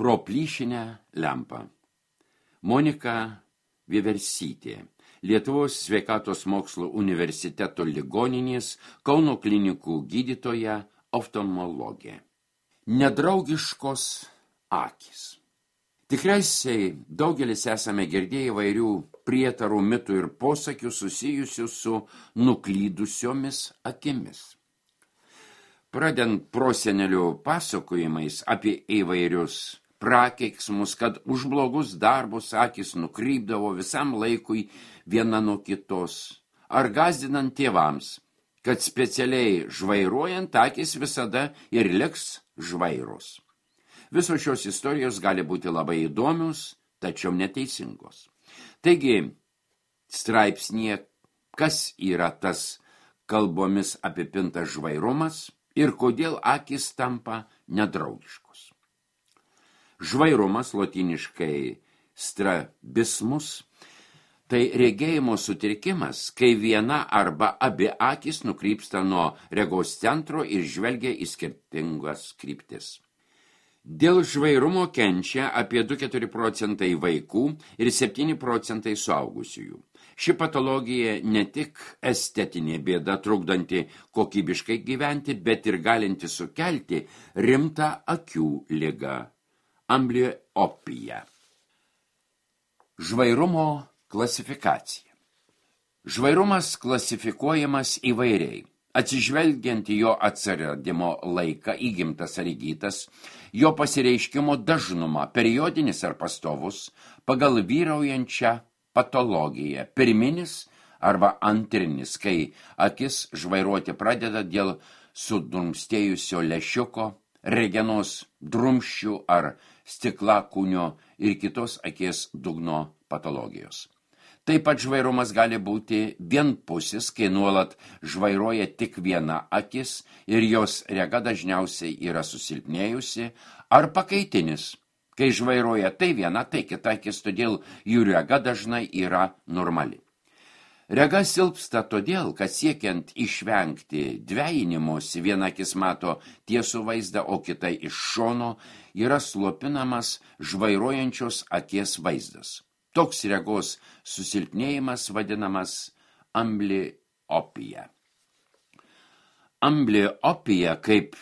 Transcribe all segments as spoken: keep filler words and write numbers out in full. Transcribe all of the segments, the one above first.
Pro plyšinę lempą. Monika Vieversytė, Lietuvos sveikatos mokslo universiteto ligoninės Kauno klinikų gydytoja, oftalmologė. Nedraugiškos akys. Tikriausiai daugelis esame girdėję įvairių prietarų, mitų ir posakių susijusių su nuklydusiomis akimis. Pradedant prosenelių pasakojimais apie įvairius prakeiksmus, kad už blogus darbus akis nukrypdavo visam laikui viena nuo kitos, ar gąsdinant tėvams, kad specialiai žvairuojant akis visada ir liks žvairos. Visos šios istorijos gali būti labai įdomios, tačiau neteisingos. Taigi, straipsnėje, kas yra tas kalbomis apipintas žvairumas ir kodėl akys tampa nedraugiškos. Žvairumas, lotyniškai strabismus, tai regėjimo sutrikimas, kai viena arba abi akys nukrypsta nuo regos centro ir žvelgia į skirtingas kryptis. Dėl žvairumo kenčia apie du ir keturi procentai vaikų ir septyni procentai suaugusiųjų. Ši patologija ne tik estetinė bėda, trukdanti kokybiškai gyventi, bet ir galinti sukelti rimtą akių ligą – ambliopiją. Žvairumo klasifikacija. Žvairumas klasifikuojamas įvairiai. Atsižvelgiant į jo atsiradimo laiką, įgimtas ar įgytas, jo pasireiškimo dažnumą, periodinis ar pastovus, pagal vyraujančią patologiją, pirminis arba antrinis, kai akis žvairuoti pradeda dėl sudrumstėjusio lęšiuko, regenos drumsčių ar stiklakūnio ir kitos akies dugno patologijos. Taip pat žvairumas gali būti vienpusis, kai nuolat žvairuoja tik viena akis ir jos rega dažniausiai yra susilpnėjusi, ar pakaitinis, kai žvairuoja tai viena, tai kita akis, todėl jų rega dažnai yra normali. Rega silpsta todėl, kad siekiant išvengti dvejinimosi, viena akis mato tiesų vaizdą, o kita iš šono yra slopinamas žvairuojančios akies vaizdas. Toks regos susilpnėjimas vadinamas ambliopija. Ambliopija, kaip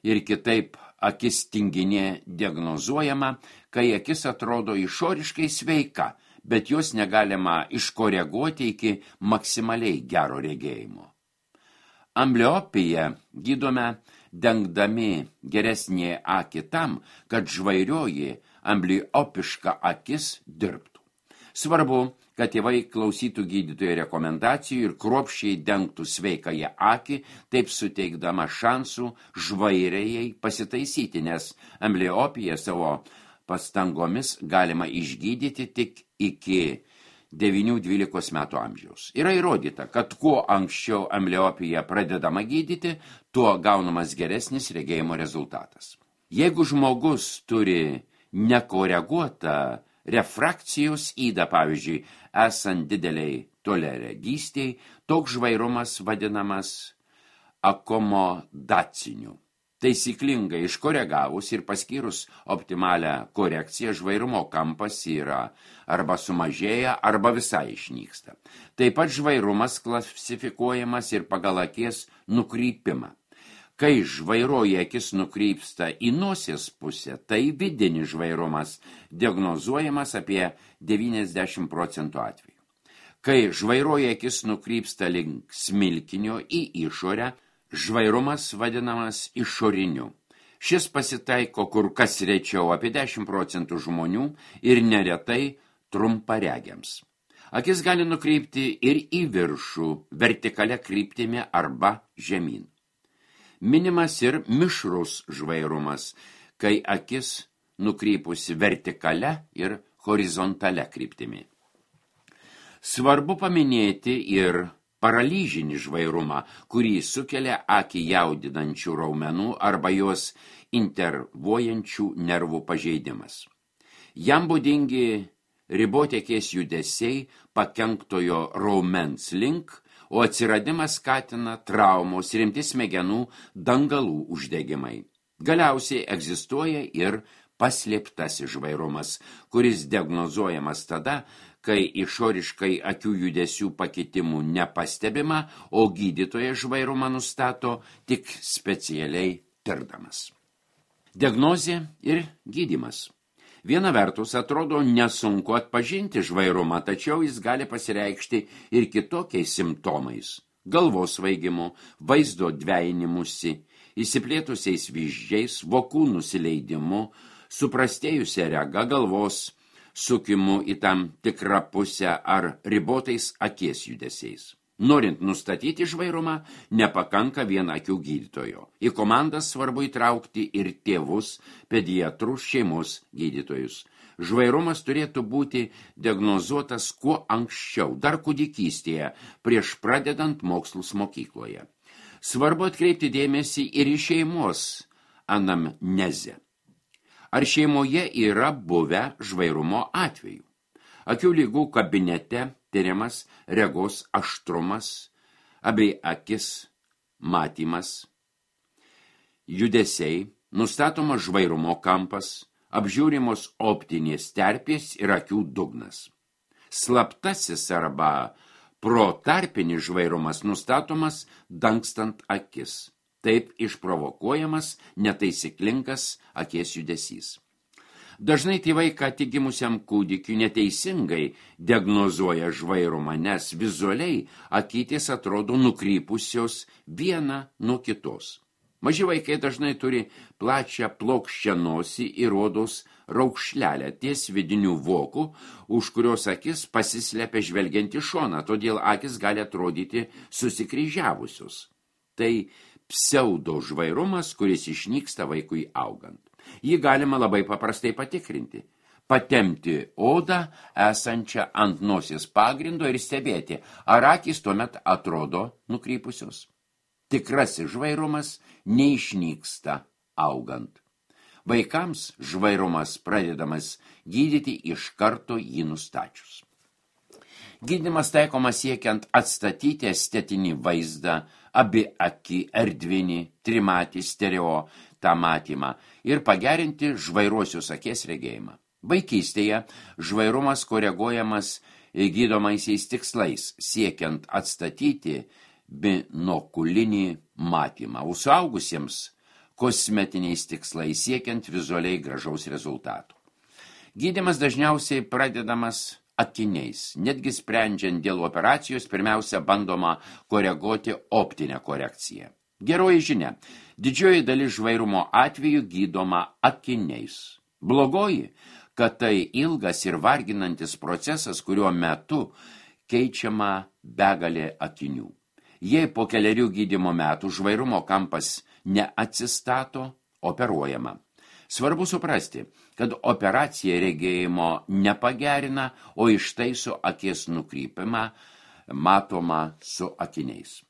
ir kitaip akis tinginė diagnozuojama, kai akis atrodo išoriškai sveika, bet jos negalima iškoreguoti iki maksimaliai gero regėjimo. Ambliopiją gydome dengdami geresnį akį tam, kad žvairioji ambliopiška akis dirbtų. Svarbu, kad tėvai klausytų gydytojo rekomendacijų ir kruopščiai dengtų sveikąją akį, taip suteikdama šansų žvairėjai pasitaisyti, nes ambliopiją savo pastangomis galima išgydyti tik iki devynių dvylikos metų amžiaus. Yra įrodyta, kad kuo anksčiau ambliopija pradedama gydyti, tuo gaunamas geresnis regėjimo rezultatas. Jeigu žmogus turi nekoreguotą refrakcijos ydą, pavyzdžiui, esant dideliai toliaregystei, toks žvairumas vadinamas akomodaciniu. Taisyklingai iškoregavus ir paskyrus optimalią korekciją, žvairumo kampas yra arba sumažėja, arba visai išnyksta. Taip pat žvairumas klasifikuojamas ir pagal akies nukrypimą. Kai žvairoji akis nukrypsta į nosies pusę, tai vidinis žvairumas diagnozuojamas apie devyniasdešimt procentų atvejų. Kai žvairoji akis nukrypsta link smilkinio į išorę, žvairumas vadinamas išoriniu. Šis pasitaiko kur kas rečiau apie dešimt procentų žmonių ir neretai trumparegiams. Akis gali nukrypti ir į viršų, vertikalia kryptimi arba žemyn. Minimas ir mišrus žvairumas, kai akis nukrypusi vertikalia ir horizontalia kryptimi. Svarbu paminėti ir paralyžinį žvairumą, kurį sukelia akį jaudinančių raumenų arba jos intervuojančių nervų pažeidimas. Jam būdingi riboti akies judesiai pakenktojo raumens link, o atsiradimas skatina traumos, rimti smegenų dangalų uždegimai. Galiausiai egzistuoja ir paslėptasis žvairumas, kuris diagnozuojamas tada, kai išoriškai akių judesių pakitimų nepastebima, o gydytojas žvairumą nustato tik specialiai tirdamas. Diagnozė ir gydymas. Viena vertus atrodo nesunku atpažinti žvairumą, tačiau jis gali pasireikšti ir kitokiais simptomais – galvos svaigimu, vaizdo dvejinimusi, įsiplėtusiais vyzdžiais, vokų nusileidimu, suprastėjusia rega, galvos sukimu į tam tikrą pusę ar ribotais akies judesiais. Norint nustatyti žvairumą, nepakanka vien akių gydytojo. Į komandas svarbu įtraukti ir tėvus, pediatrus, šeimos gydytojus. Žvairumas turėtų būti diagnozuotas kuo anksčiau, dar kūdikystėje, prieš pradedant mokslus mokykloje. Svarbu atkreipti dėmesį ir į šeimos anamnezę. Ar šeimoje yra buvę žvairumo atvejų? Akių lygų kabinete tyriamas regos aštrumas, abei akis matymas, judesiai, nustatomas žvairumo kampas, apžiūrimos optinės terpės ir akių dugnas. Slaptasis arba protarpinis žvairumas nustatomas dangstant akis, taip išprovokuojamas netaisyklingas akies judesys. Dažnai tėvai ką tik gimusiam kūdikiui neteisingai diagnozuoja žvairumą, nes vizualiai akytės atrodo nukrypusios viena nuo kitos. Maži vaikai dažnai turi plačią plokščią nosį ir odos raukšlelę ties vidinių vokų, už kurios akis pasislepia žvelgiant į šoną, todėl akis gali atrodyti susikryžiavusios. Tai pseudo žvairumas, kuris išnyksta vaikui augant. Jį galima labai paprastai patikrinti. Patemti odą esančią ant nosies pagrindo ir stebėti, ar akys tuomet atrodo nukrypusios. Tikrasis žvairumas neišnyksta augant. Vaikams žvairumas pradedamas gydyti iš karto jį nustačius. Gydymas taikomas siekiant atstatyti estetinį vaizdą, abi akį, erdvinį, trimatį, stereo, tą matymą ir pagerinti žvairuosius akies regėjimą. Vaikystėje žvairumas koreguojamas gydomaisiais tikslais, siekiant atstatyti binokulinį matymą, o suaugusiems kosmetiniais tikslais, siekiant vizualiai gražaus rezultatų. Gydymas dažniausiai pradedamas akiniais. Netgi sprendžiant dėl operacijos, pirmiausia bandoma koreguoti optinę korekciją. Geroji žinia, didžioji dalis žvairumo atveju gydoma akiniais. Blogoji, kad tai ilgas ir varginantis procesas, kuriuo metu keičiama begalė akinių. Jei po keliarių gydymo metų žvairumo kampas neatsistato, operuojama. Svarbu suprasti, kad operacija regėjimo nepagerina, o ištaiso akies nukrypimą matoma su akiniais.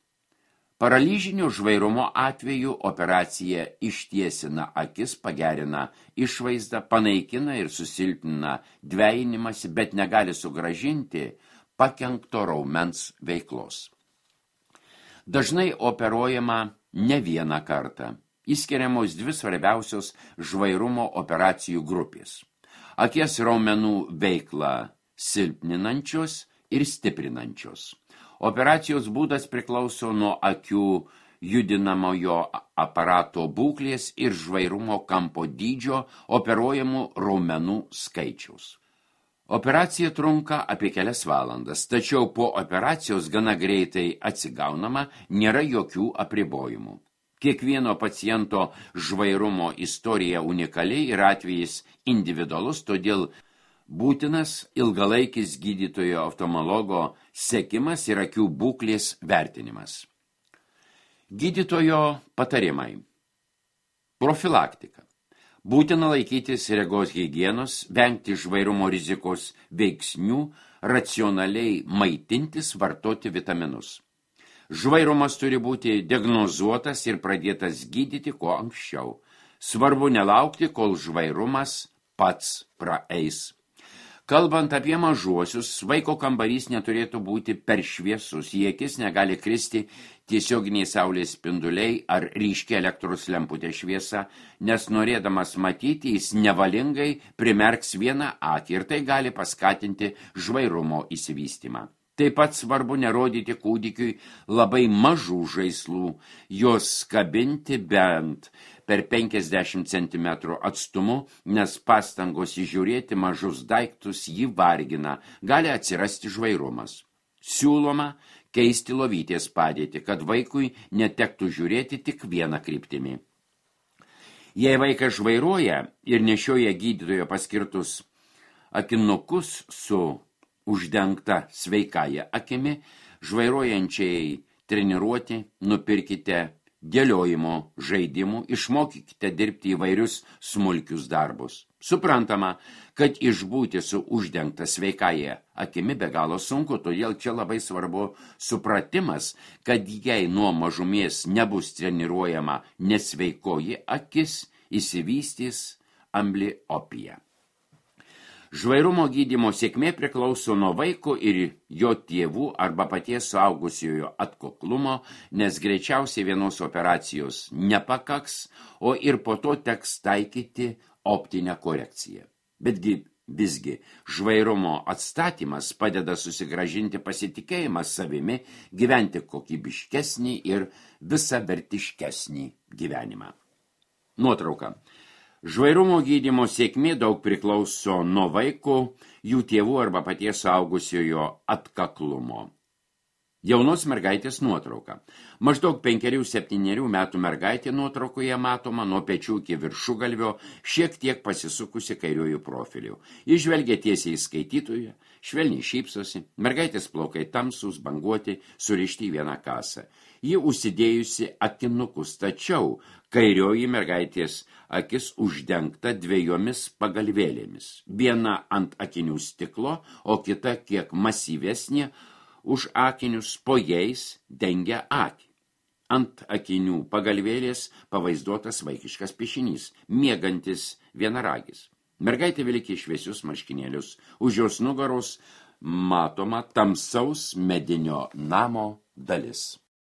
Paralyžinio žvairumo atveju operacija ištiesina akis, pagerina išvaizdą, panaikina ir susilpnina dvejinimąsi, bet negali sugrąžinti pakenkto raumens veiklos. Dažnai operuojama ne vieną kartą. Įskiriamos dvi svarbiausios žvairumo operacijų grupės. Akies raumenų veiklą silpninančios ir stiprinančios. Operacijos būdas priklauso nuo akių judinamojo aparato būklės ir žvairumo kampo dydžio, operuojamų raumenų skaičiaus. Operacija trunka apie kelias valandas, tačiau po operacijos gana greitai atsigaunama, nėra jokių apribojimų. Kiekvieno paciento žvairumo istorija unikaliai ir atvejis individualus, todėl būtinas ilgalaikis gydytojo oftalmologo sekimas ir akių būklės vertinimas. Gydytojo patarimai. Profilaktika. Būtina laikytis regos higienos, vengti žvairumo rizikos veiksnių, racionaliai maitintis, vartoti vitaminus. Žvairumas turi būti diagnozuotas ir pradėtas gydyti kuo anksčiau. Svarbu nelaukti, kol žvairumas pats praeis. Kalbant apie mažuosius, vaiko kambarys neturėtų būti per šviesus, į akis negali kristi tiesioginiai saulės spinduliai ar ryški elektros lemputė šviesa, nes norėdamas matyti, jis nevalingai primerks vieną akį ir tai gali paskatinti žvairumo išsivystymą. Taip pat svarbu nerodyti kūdikiui labai mažų žaislų, jos kabinti bent per penkiasdešimt centimetrų atstumu, nes pastangos įžiūrėti mažus daiktus jį vargina, gali atsirasti žvairumas. Siūloma keisti lovytės padėtį, kad vaikui netektų žiūrėti tik vieną kryptimį. Jei vaikas žvairuoja ir nešioja gydytojo paskirtus akinukus su uždengta sveikąja akimi, žvairuojančiai treniruoti nupirkite dėliojimo žaidimų, išmokykite dirbti įvairius smulkius darbus. Suprantama, kad išbūti su uždengta sveikąja akimi be galo sunku, todėl čia labai svarbu supratimas, kad jei nuo mažumės nebus treniruojama nesveikoji akis, išsivystys ambliopija. Žvairumo gydymo sėkmė priklauso nuo vaiko ir jo tėvų arba paties suaugusiojo atkaklumo, nes greičiausiai vienos operacijos nepakaks, o ir po to teks taikyti optinę korekciją. Betgi visgi žvairumo atstatymas padeda susigrąžinti pasitikėjimą savimi, gyventi kokybiškesnį ir visavertiškesnį gyvenimą. Nuotrauka. Žvairumo gydymo sėkmė daug priklauso nuo vaiko, jų tėvų arba paties suaugusiojo atkaklumo. Jaunos mergaitės nuotrauka. Maždaug penkerių septynerių metų mergaitė nuotraukoje matoma nuo pečių iki viršugalvio, šiek tiek pasisukusi kairiųjų profilių. Ji žvelgia tiesiai į skaitytoją, švelniai šypsosi, mergaitės plaukai tamsūs, banguoti, surišti į vieną kasą. Ji užsidėjusi akinukus, tačiau kairioji mergaitės akis uždengta dviejomis pagalvėlėmis. Viena ant akinių stiklo, o kita kiek masyvesnė, už akinius po jais dengia akį. Ant akinių pagalvėlės pavaizduotas vaikiškas piešinys, miegantis vienaragis. Mergaitė vilki šviesius marškinėlius, už jos nugaros matoma tamsaus medinio namo dalis.